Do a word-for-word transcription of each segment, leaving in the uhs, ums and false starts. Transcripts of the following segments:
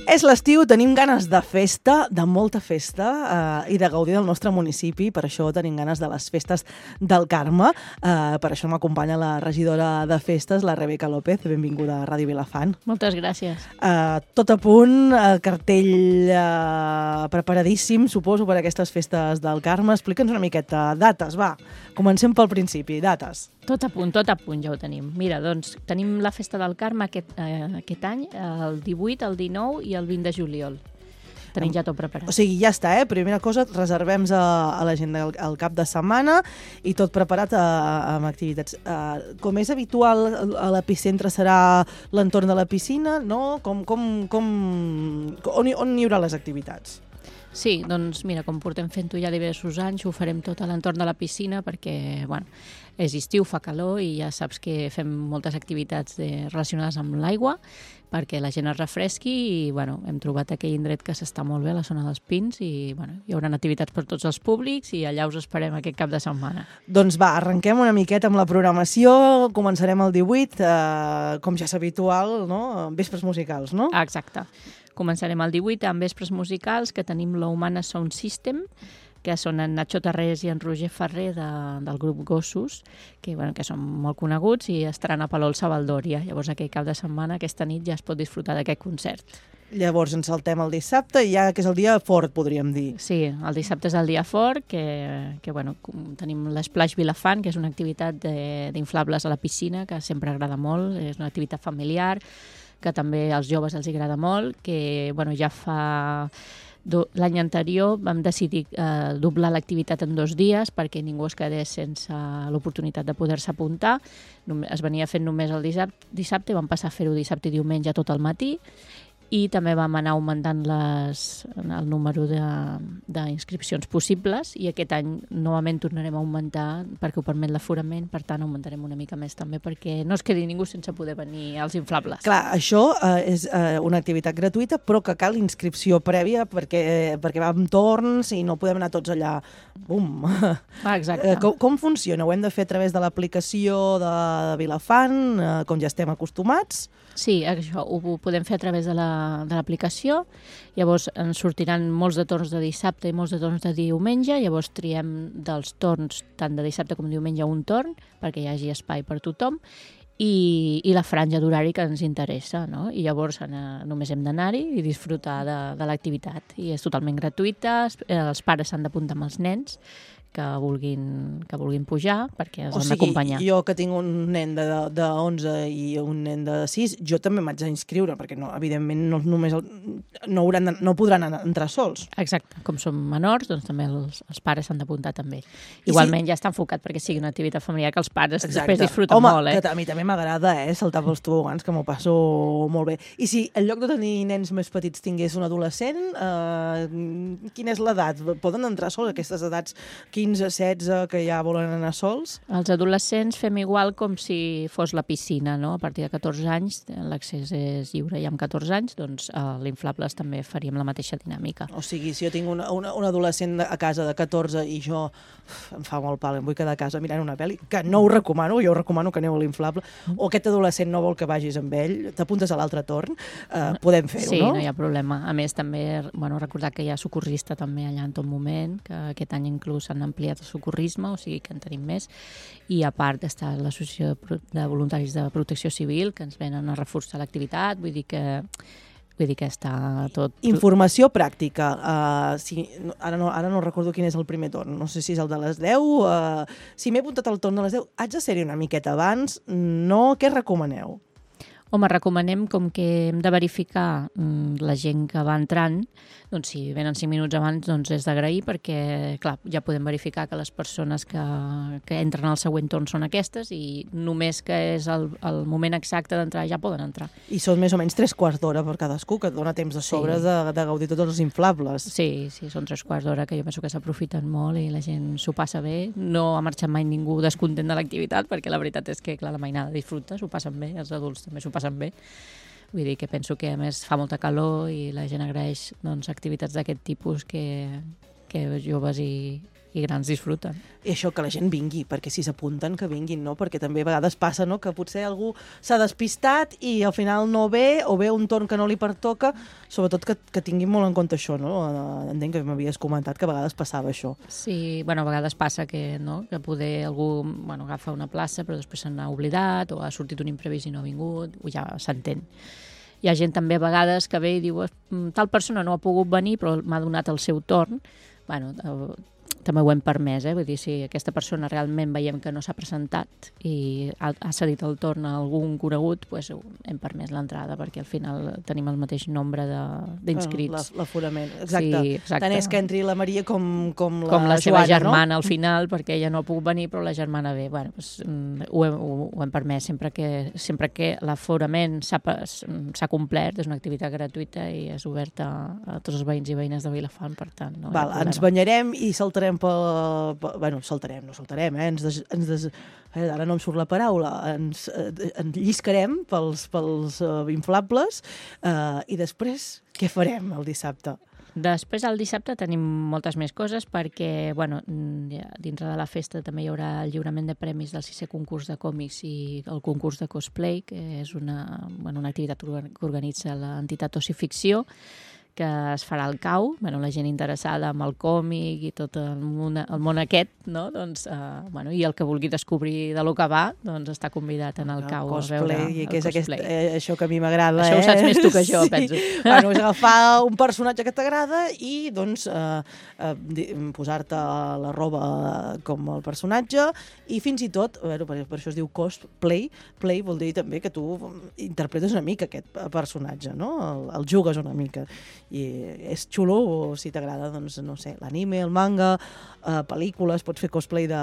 És l'estiu, tenim ganes de festa, de molta festa, eh, i de gaudir del nostre municipi. Per això tenim ganes de les festes del Carme. Eh, per això m'acompanya la regidora de festes, la Rebeca López. Benvinguda a Ràdio Vilafant. Moltes gràcies. Eh, tot a punt, el cartell eh, preparadíssim, suposo, per a aquestes festes del Carme. Explica'ns una miqueta. Dates, va. Comencem pel principi. Dates. Tot a punt, tot a punt ja ho tenim. Mira, doncs, tenim la festa del Carme aquest, eh, aquest any, el divuit, el dinou i el vint de juliol. Tenim ja tot preparat. O sigui, ja està, eh? Primera cosa, reservem a, a l'agenda el, el cap de setmana i tot preparat a, amb activitats. Uh, com és habitual, a l'epicentre serà l'entorn de la piscina, no? Com, com, com, on, on hi haurà les activitats? Sí, doncs mira, com portem fent-ho ja diversos anys, ho farem tot a l'entorn de la piscina perquè, bueno, és estiu, fa calor i ja saps que fem moltes activitats de, relacionades amb l'aigua perquè la gent es refresqui i, bueno, hem trobat aquell indret que s'està molt bé a la zona dels Pins i, bueno, hi haurà activitats per tots els públics i allà us esperem aquest cap de setmana. Doncs va, arrenquem una miqueta amb la programació, començarem el divuit, eh, com ja és habitual, no? Vespres musicals, no? Exacte. Començarem el divuit amb vespres musicals, que tenim la Humana Sound System, que són en Nacho Tarrés i en Roger Ferrer de, del grup Gossos, que, bueno, que són molt coneguts i estaran a Palol Sabaldòria. Llavors, aquell cap de setmana, aquesta nit, ja es pot disfrutar d'aquest concert. Llavors ens saltem el dissabte i ja que és el dia fort, podríem dir. Sí, el dissabte és el dia fort, que, que bueno, tenim l'Splash Vilafant, que és una activitat d'inflables a la piscina, que sempre agrada molt, és una activitat familiar, que també als joves els agrada molt, que bueno, ja fa... L'any anterior vam decidir eh, doblar l'activitat en dos dies perquè ningú es quedés sense l'oportunitat de poder-se apuntar. Es venia fent només el dissabte, dissabte i vam passar a fer-ho dissabte i diumenge tot el matí. I també vam anar augmentant les, el número d'inscripcions possibles i aquest any novament tornarem a augmentar perquè ho permet l'aforament, per tant augmentarem una mica més també perquè no es quedi ningú sense poder venir als inflables. Clar, això eh, és eh, una activitat gratuïta però que cal inscripció prèvia perquè, eh, perquè va amb torns i no podem anar tots allà. Bum! Ah, exacte. Eh, com, com funciona? Ho hem de fer a través de l'aplicació de Vilafant, eh, com ja estem acostumats? Sí, això ho podem fer a través de l'aplicació, llavors ens sortiran molts de torns de dissabte i molts de torns de diumenge, llavors triem dels torns tant de dissabte com diumenge un torn perquè hi hagi espai per tothom i, i la franja d'horari que ens interessa, no? I llavors eh, només hem d'anar-hi i disfrutar de, de l'activitat i és totalment gratuïta, els pares s'han d'apuntar amb els nens que vulguin, que vulguin pujar perquè els o han sigui, d'acompanyar. Jo que tinc un nen de, de onze i un nen de sis, jo també m'haig d'inscriure perquè no, evidentment no, només el, no, hauran de, no podran entrar sols. Exacte, com som menors, doncs també els, els pares s'han d'apuntar també. Igualment si... ja està enfocat perquè sigui una activitat familiar que els pares Exacte. Després disfruten Home, molt. Eh? Que a mi també m'agrada eh, saltar pels tobogans, que m'ho passo molt bé. I si en lloc de tenir nens més petits tingués un adolescent, eh, quina és l'edat? Poden entrar sols aquestes edats quinze, setze, que ja volen anar sols? Els adolescents fem igual com si fos la piscina, no? A partir de catorze anys l'accés és lliure i amb catorze anys doncs a l'Inflables també faríem la mateixa dinàmica. O sigui, si jo tinc una, una, un adolescent a casa de catorze i jo uf, em fa molt pal, em vull quedar a casa mirant una pel·li, que no ho recomano, jo ho recomano que aneu a l'Inflable, mm. o aquest adolescent no vol que vagis amb ell, t'apuntes a l'altre torn, eh, podem fer-ho, sí, no? Sí, no hi ha problema. A més, també, bueno, recordar que hi ha socorrista també allà en tot moment, que aquest any inclús s'han ampliat el socorrisme, o sigui que en tenim més, i a part està l'Associació de Voluntaris de Protecció Civil, que ens venen a reforçar l'activitat, vull dir que vull dir que està tot... Informació pràctica. Uh, si, ara, no, ara no recordo quin és el primer torn, no sé si és el de les deu. Uh, si m'he apuntat al torn de les deu, haig de ser-hi una miqueta abans. No, què recomaneu? Home, recomanem, com que hem de verificar mm, la gent que va entrant, doncs si venen cinc minuts abans doncs és d'agrair perquè, clar, ja podem verificar que les persones que, que entren al següent torn són aquestes i només que és el, el moment exacte d'entrar ja poden entrar. I són més o menys tres quarts d'hora per cadascú, que et dona temps de sobre sí. de, de gaudir tots els inflables. Sí, sí, són tres quarts d'hora que jo penso que s'aprofiten molt i la gent s'ho passa bé. No ha marxat mai ningú descontent de l'activitat perquè la veritat és que, clar, la mainada disfruta, s'ho passen bé, els adults també s'ho passen bé. Vull dir que penso que a més fa molta calor i la gent agraeix doncs, activitats d'aquest tipus que, que joves i, i grans disfruten. I això, que la gent vingui, perquè si s'apunten, que vinguin, no? Perquè també a vegades passa, no?, que potser algú s'ha despistat i al final no ve, o ve un torn que no li pertoca, sobretot que, que tinguin molt en compte això, no? Entenc que m'havies comentat que a vegades passava això. Sí, bueno, a vegades passa que, no?, que poder algú, bueno, agafa una plaça però després se n'ha oblidat o ha sortit un imprevist i no ha vingut, o ja s'entén. Hi ha gent també a vegades que ve i diu tal persona no ha pogut venir però m'ha donat el seu torn. Bueno, també ho hem permès, eh? Vull dir, si aquesta persona realment veiem que no s'ha presentat i ha, ha cedit el torn a algun conegut, doncs hem permès l'entrada perquè al final tenim el mateix nombre d'inscrits. L'aforament, exacte. Sí, exacte. Tant és que entri la Maria com, com la com la seva Joana, germana, no? Al final, perquè ella no ha pogut venir, però la germana ve. Bueno, doncs, ho, hem, ho, ho hem permès sempre que, sempre que l'aforament s'ha complert, és una activitat gratuïta i és oberta a tots els veïns i veïnes de Vilafant, per tant. No Val, ens banyarem i saltarem pel... Bueno, saltarem, no saltarem, eh? Ens des, ens des, eh? Ara no em surt la paraula. Ens, eh, ens lliscarem pels, pels uh, inflables uh, i després què farem el dissabte? Després, el dissabte, tenim moltes més coses perquè, bueno, dintre de la festa també hi haurà el lliurament de premis del sisè concurs de còmics i el concurs de cosplay, que és una, bueno, una activitat que organitza l'entitat Ocificció, que es farà al cau, bueno, la gent interessada amb el còmic i tot el món, el món aquest, no? Doncs, uh, bueno, i el que vulgui descobrir de lo que va, doncs està convidat en el, el cau cosplay, a veure i el que és cosplay. Aquest, eh, això que a mi m'agrada, això eh? ho saps més tu que jo, sí. penso. Bueno, és agafar un personatge que t'agrada i, doncs, eh, eh, posar-te la roba com el personatge i fins i tot, bueno, per, per això es diu cosplay, play vol dir també que tu interpretes una mica aquest personatge, no? El, el jugues una mica. I és xulo, o si t'agrada, doncs, no sé, l'anime, el manga, eh, pel·lícules, pots fer cosplay de,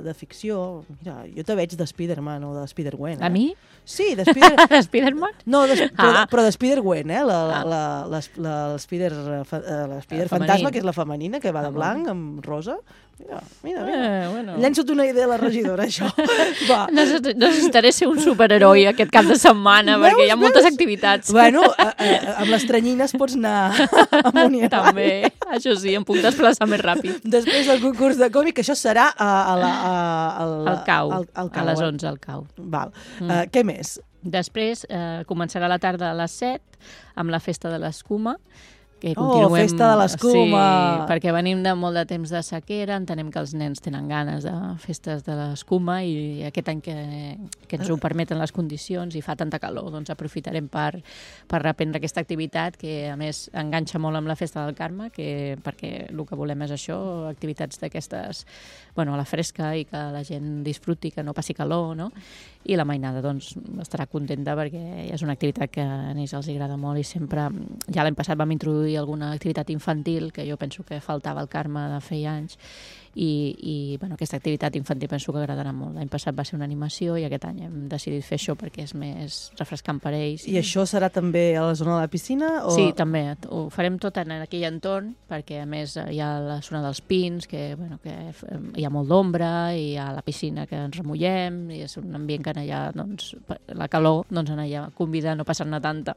de ficció. Mira, jo te veig de Spider-Man o de Spider-Gwen. Eh? A mi? Sí, de Spider... de Spider-Man? No, de, ah. però, però de Spider-Gwen, eh? La, ah. la, la, la, la Spider, la Spider Fantasma, que és la femenina, que va de blanc amb rosa. Mira, mira, mira. Eh, bueno. Llença't una idea a la regidora, això. Va. Necessitaré ser un superheroi aquest cap de setmana, veus, perquè hi ha veus? moltes activitats. Bueno, a, a, amb les tranyines pots anar amunt i avall. També, això sí, em puc desplaçar més ràpid. Després del concurs de còmic, això serà a, a la, a, a, al cau, al, al cau, a les onze al cau. Val. Mm. Uh, què més? Després eh, començarà la tarda a les set amb la festa de l'escuma, que oh, continuem... festa de l'escuma! Sí, perquè venim de molt de temps de sequera, entenem que els nens tenen ganes de festes de l'escuma i aquest any que, que ens ho permeten les condicions i fa tanta calor, doncs aprofitarem per, per reprendre aquesta activitat que a més enganxa molt amb la festa del Carme, que, perquè el que volem és això, activitats d'aquestes, bueno, a la fresca i que la gent disfruti, que no passi calor, no? I la mainada, doncs, estarà contenta perquè és una activitat que a ells els agrada molt i sempre, ja l'any passat vam introduir alguna activitat infantil, que jo penso que faltava al Carme de feia anys, i, i bueno, aquesta activitat infantil penso que agradarà molt. L'any passat va ser una animació i aquest any hem decidit fer això perquè és més refrescant per ells. I això serà també a la zona de la piscina? O... Sí, també. Ho farem tot en aquell entorn, perquè a més hi ha la zona dels pins, que, bueno, que hi ha molt d'ombra, i hi ha la piscina que ens remullem, i és un ambient que en allà, doncs, la calor, doncs en allà convida a no passar-ne tanta.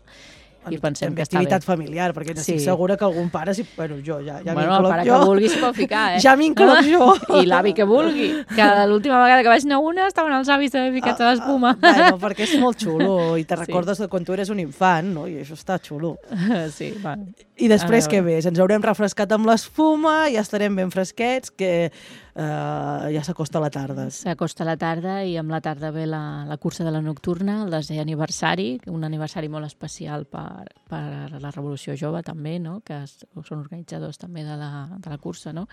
I pensem que està bé. Activitat familiar, perquè estic sí. segura que algun pare, si, bueno, jo ja, ja bueno, el pare jo. que vulgui s'hi pot ficar, eh? Ja m'incloc ah, jo. I l'avi que vulgui, que l'última vegada que vaig anar a una estaven els avis de ficats a l'espuma. Ah, bueno, perquè és molt xulo i te recordes sí. de quan tu eres un infant, no? I això està xulo. Sí, bueno. I després què més? Ens haurem refrescat amb l'espuma, ja estarem ben fresquets, que Uh, ja s'acosta la tarda. S'acosta la tarda i amb la tarda ve la, la cursa de la nocturna, el desè aniversari, un aniversari molt especial per, per la Revolució Jove també, no? Que es, són organitzadors també de la, de la cursa, no?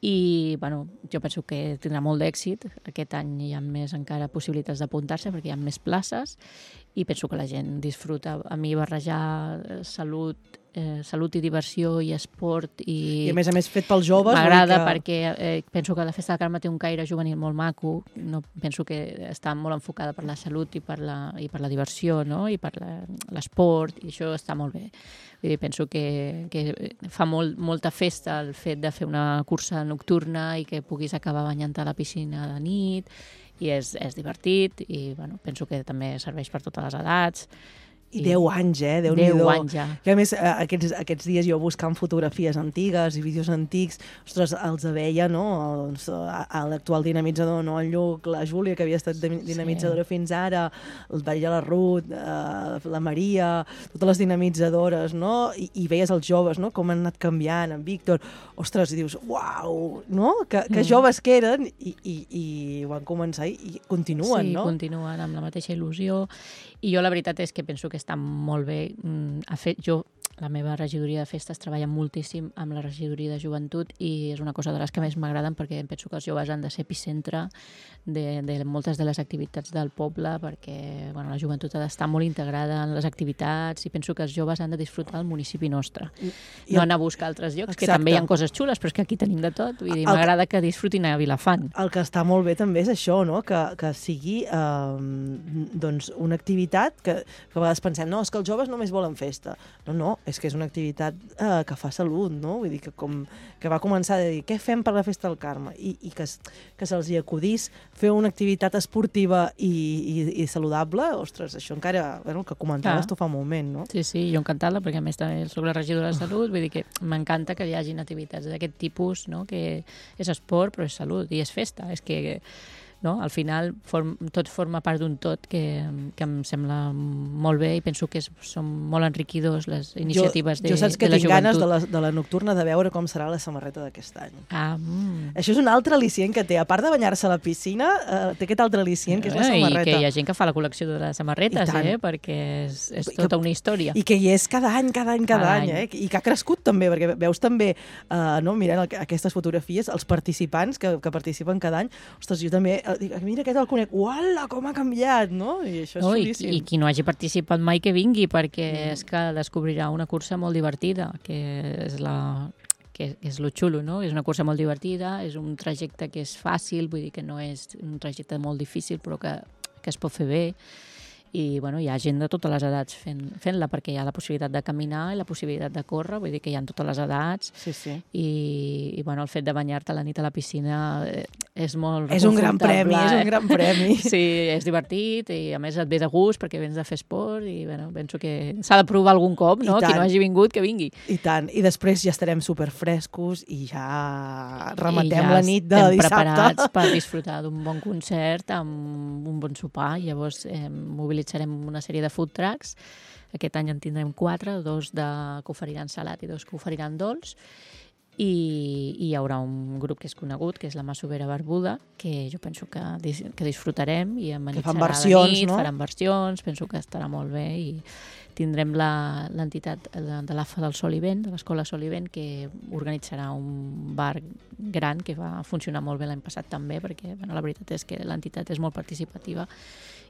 I bueno, jo penso que tindrà molt d'èxit. Aquest any hi ha més encara possibilitats d'apuntar-se perquè hi ha més places i penso que la gent disfruta. A mi barrejar salut, eh, salut i diversió i esport i, I a més a més fet pels joves m'agrada que... perquè eh, penso que la Festa del Carme té un caire juvenil molt maco. No, penso que està molt enfocada per la salut i per la, i per la diversió, no? I per l'esport, i això està molt bé. Vull dir, penso que, que fa molt, molta festa el fet de fer una cursa nocturna i que puguis acabar banyant-te a la piscina de nit, i és, és divertit i bueno, penso que també serveix per totes les edats I deu anys, eh? Déu-n'hi-do. Deu anys, ja. Que a més, aquests, aquests dies jo buscant fotografies antigues i vídeos antics, ostres, els veia, no? Els, a l'actual dinamitzador, no? El Lluc, la Júlia, que havia estat dinamitzadora sí. fins ara, el veia la Ruth, eh, la Maria, totes les dinamitzadores, no? I, i veies els joves, no? Com han anat canviant, en Víctor. Ostres, i dius, uau, no? Que, que mm. joves que eren i, i, i van començar i, i continuen, sí, no? Sí, continuen amb la mateixa il·lusió. I jo la veritat és que penso que està molt bé. Ha fet, jo, la meva regidoria de festes treballa moltíssim amb la regidoria de joventut i és una cosa de les que més m'agraden perquè penso que els joves han de ser epicentre de, de moltes de les activitats del poble perquè bueno, la joventut ha d'estar molt integrada en les activitats i penso que els joves han de disfrutar del municipi nostre. I, no anar a buscar altres llocs, exacte. Que també hi ha coses xules, però és que aquí tenim de tot. Vull dir, m'agrada que disfrutin a Vilafant. El que està molt bé també és això, no? que, que sigui eh, doncs una activitat que, que a vegades pensem, no, és que els joves només volen festa. No, no, és que és una activitat eh, que fa salut, no? Vull dir que, com, que va començar a dir què fem per la festa del Carme i, i que, que se'ls hi acudís fer una activitat esportiva i, i, i saludable, ostres, això encara, bueno, que comentaves ah. tu fa un moment, no? Sí, sí, jo encantada, perquè a més també soc la regidora de Salut, vull dir que m'encanta que hi hagin activitats d'aquest tipus, no? Que és esport però és salut i és festa, és que no? Al final form, tot forma part d'un tot que, que em sembla molt bé i penso que és, són molt enriquidors les iniciatives jo, de, jo saps que de la tinc joventut. ganes de la, de la nocturna de veure com serà la samarreta d'aquest any. Ah, mm. Això és un altre al·licient que té. A part de banyar-se a la piscina, eh, té aquest altre al·licient que és la samarreta. I que hi ha gent que fa la col·lecció de les samarretes, eh? Perquè és, és tota que, una història. I que hi és cada any, cada any, cada, cada any, any. Eh? I que ha crescut també, perquè veus també, eh, no, mirant el, aquestes fotografies, els participants que, que participen cada any, ostres, jo també, eh, dic, mira aquest el conec, uala, com ha canviat, no? I això és no, xulíssim. I, I qui no hagi participat mai que vingui, perquè mm. és que descobrirà una cursa molt divertida, que és la... que és lo xulo, no? És una cursa molt divertida, és un trajecte que és fàcil, vull dir que no és un trajecte molt difícil, però que, que es pot fer bé. I bueno, hi ha gent de totes les edats fent, fent-la, perquè hi ha la possibilitat de caminar i la possibilitat de córrer, vull dir que hi ha totes les edats. Sí, sí. I, i bueno, el fet de banyar-te a la nit a la piscina és molt és un gran premi, eh? és un gran premi. Sí, és divertit i a més et ve de gust perquè vens de fer esport i bueno, penso que s'ha de provar algun cop, no? Qui no hagi vingut, que vingui. I tant, i després ja estarem superfrescos i ja rematem I ja la nit de dissabte. Preparats per disfrutar d'un bon concert amb un bon sopar. Llavors eh, mobilitzarem una sèrie de food trucks. Aquest any en tindrem quatre, dos de, que oferiran salat i dos que oferiran dolç. I, i hi haurà un grup que és conegut, que és la Masovera Barbuda, que jo penso que, que disfrutarem i amenitzarà la nit, no? Faran versions, penso que estarà molt bé i tindrem l'entitat de, de l'A F A del Sol i Vent, de l'Escola Sol i Vent, que organitzarà un bar gran que va funcionar molt bé l'any passat també, perquè bueno, la veritat és que l'entitat és molt participativa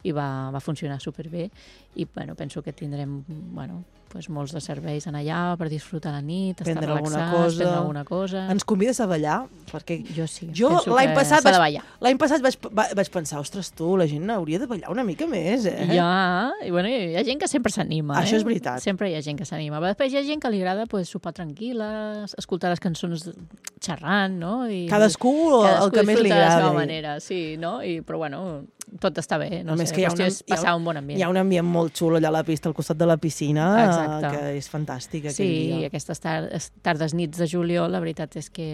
i va, va funcionar superbé i bueno, penso que tindrem bueno, pues molts de serveis en allà per disfrutar la nit, estar prendre relaxats, alguna cosa. prendre alguna cosa. Ens convides a ballar? Perquè jo sí, jo penso l'any que passat s'ha de vaig, ballar. L'any passat vaig, vaig pensar, ostres, tu, la gent hauria de ballar una mica més, eh? Ja, i bueno, hi ha gent que sempre s'anima. Això eh? és veritat. Sempre hi ha gent que s'anima. Després hi ha gent que li agrada pues, sopar tranquil·la, escoltar les cançons xerrant, no? I, cadascú, cadascú el que més li agrada. Cadascú disfruta de la seva manera, sí, no? I, però bueno, tot està bé, no sé, que hi ha, una, passar hi ha, un bon ambient. Hi ha un ambient molt xulo allà a la pista, al costat de la piscina, exacte. Que és fantàstic aquell sí, dia. Sí, aquestes tardes, tardes nits de juliol, la veritat és que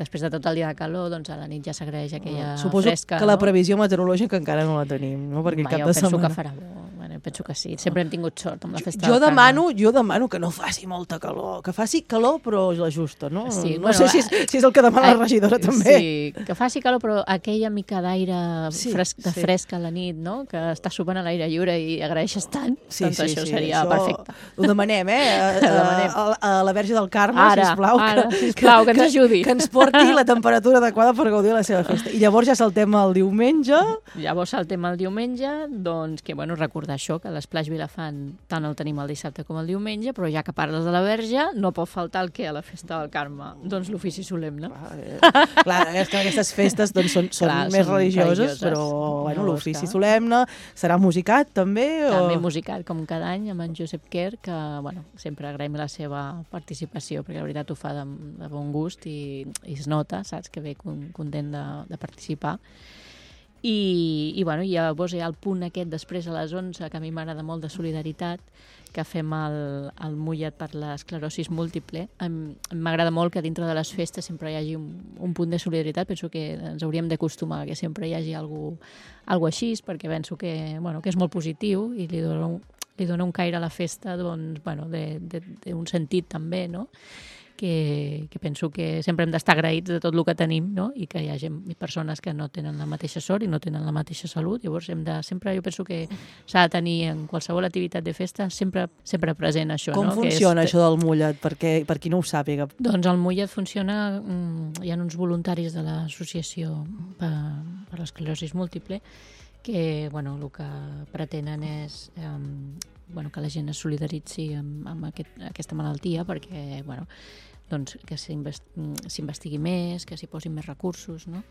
després de tot el dia de calor, doncs a la nit ja s'agraeix aquella Suposo fresca. Suposo que la no? previsió meteorològica encara no la tenim, no? Perquè Va, cap jo de penso setmana... que farà bo. Bueno, penso que sí. Sempre hem tingut sort amb la festa jo del demano, jo demano que no faci molta calor, que faci calor però la justa, no? Sí, no bueno, sé si és, si és el que demana la regidora també. Sí, que faci calor però aquella mica d'aire sí, fresc, de sí. fresca a la nit, no? Que està sopant a l'aire lliure i agraeixes tant, sí, doncs sí, això sí, seria això perfecte. Ho demanem, eh? A, demanem. A, a, a la Verge del Carme, ara, sisplau, ara, que, sisplau, que, que ens ajudi. Que ens porti la temperatura adequada per gaudir de la seva festa. I llavors ja saltem el diumenge. Llavors saltem el diumenge, doncs que, bueno, recordar això, que l'Esplaix Vilafant tant el tenim el dissabte com el diumenge, però ja que parles de la Verge, no pot faltar el que a la festa del Carme? Doncs l'ofici solemne. Clar, eh, clar, és que aquestes festes doncs, són, són clar, més són religioses, religioses, però bueno, l'ofici solemne serà musicat també? O... També musicat, com cada any, amb en Josep Quer, que bueno, sempre agraïm la seva participació, perquè la veritat ho fa de, de bon gust i, i es nota, saps, que ve content de, de participar. I, i, bueno, i llavors hi ha el punt aquest després a les onze, que a mi m'agrada molt, de solidaritat, que fem el, el mullet per l'esclerosis múltiple. M'agrada molt que dintre de les festes sempre hi hagi un, un punt de solidaritat. Penso que ens hauríem d'acostumar que sempre hi hagi algú, algú així, perquè penso que, bueno, que és molt positiu i li dona un, li dona un caire a la festa, doncs, bueno, d'un sentit també, no? Que, que penso que sempre hem d'estar agraïts de tot el que tenim, no? I que hi ha gent, persones que no tenen la mateixa sort i no tenen la mateixa salut. Llavors hem de, sempre jo penso que s'ha de tenir en qualsevol activitat de festa sempre, sempre present això. Com no? funciona que és, això del mullet? Perquè, per qui no ho sàpiga. Doncs el mullet funciona, hi ha uns voluntaris de l'associació per, per l'esclerosis múltiple que, bueno, el que pretenen és eh, bueno, que la gent es solidaritzi amb, amb aquest, aquesta malaltia perquè, bueno, doncs, que s'investigui més, que s'hi posin més recursos, no?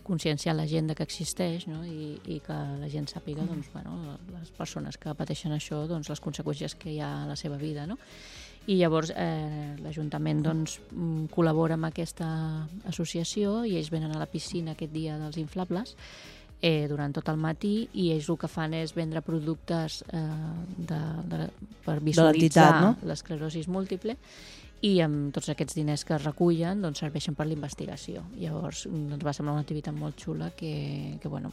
Conscienciar la gent de que existeix, no? I, i que la gent sàpiga, doncs, bueno, les persones que pateixen això, doncs, les conseqüències que hi ha a la seva vida, no? I llavors eh, l'Ajuntament doncs, col·labora amb aquesta associació i ells venen a la piscina aquest dia dels inflables eh, durant tot el matí i ells el que fan és vendre productes eh, de, de, per visualitzar no? l'esclerosis múltiple i amb tots aquests diners que es recullen doncs, serveixen per l'investigació. Llavors ens va semblar una activitat molt xula que, que, bueno,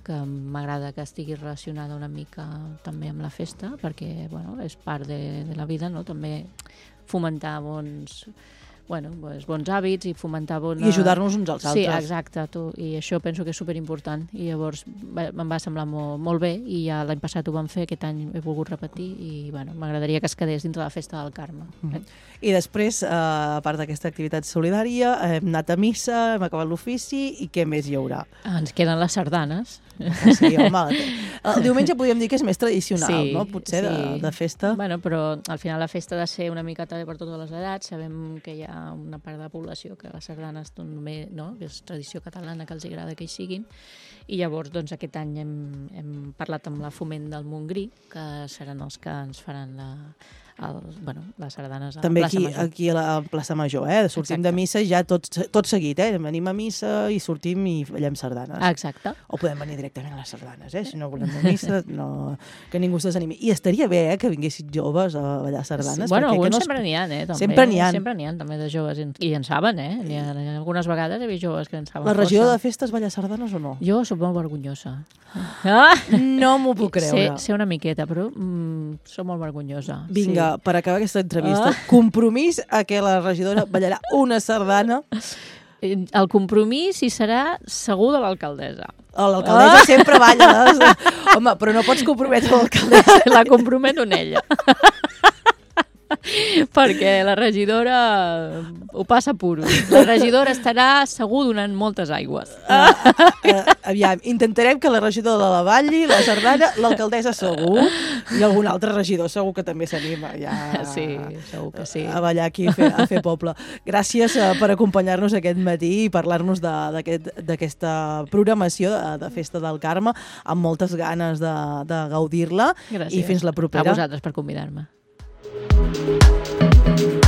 que m'agrada que estigui relacionada una mica també amb la festa perquè bueno, és part de, de la vida, no? També fomentar bons, bueno, bons hàbits i fomentar bona... I ajudar-nos uns als altres. Sí, exacte, tu. I això penso que és superimportant i llavors em va semblar molt, molt bé i ja l'any passat ho vam fer, aquest any he volgut repetir i bueno, m'agradaria que es quedés dintre la festa del Carme. Mm. I després, eh, a part d'aquesta activitat solidària, hem anat a missa, hem acabat l'ofici i què més hi haurà? Ens queden les sardanes. Sí, home, el diumenge podríem dir que és més tradicional, sí, no? Potser sí. de, de festa. Bueno, però al final la festa ha de ser una mica també per totes les edats. Sabem que hi ha una part de la població que les sardanes també, no? És tradició catalana que els agrada que hi siguin. I llavors doncs, aquest any hem, hem parlat amb la Foment del Montgrí, que seran els que ens faran la... El, bueno, les sardanes a també la plaça aquí, Major. Aquí a la plaça Major, eh? Sortim Exacte. de missa ja tot, tot seguit, eh? Venim a missa i sortim i ballem sardanes. Exacte. O podem venir directament a les sardanes, eh? Si no volem a missa, no... que ningú s'desanimi. I estaria bé, eh? Que vinguessin joves a ballar sardanes. Sí. Bueno, alguns no es... sempre n'hi ha, eh? També. Sempre n'hi ha. Sempre n'hi ha, també, de joves. I en saben, eh? N'hi ha, algunes vegades he vist joves que en saben La regidora força. de festes balla sardanes o no? Jo soc molt vergonyosa. Ah! No m'ho puc creure. Sé, sé una miqueta, però mm, soc molt vergonyosa. Vinga, sí. Per acabar aquesta entrevista, ah. compromís a que la regidora ballarà una sardana. El compromís hi serà segur de l'alcaldessa. L'alcaldessa ah. sempre balla. Home, però no pots comprometre l'alcaldessa. La comprometo en ella. Perquè la regidora ho passa puro. La regidora estarà segur donant moltes aigües. Ah, uh, aviam, intentarem que la regidora la balli, la sardana, l'alcaldessa segur, i algun altre regidor segur que també s'anima ja sí, segur que sí. a ballar aquí a fer, a fer poble. Gràcies uh, per acompanyar-nos aquest matí i parlar-nos d'aquesta aquest, programació de, de Festa del Carme, amb moltes ganes de, de gaudir-la. I fins la propera. A vosaltres per convidar-me. Thank you.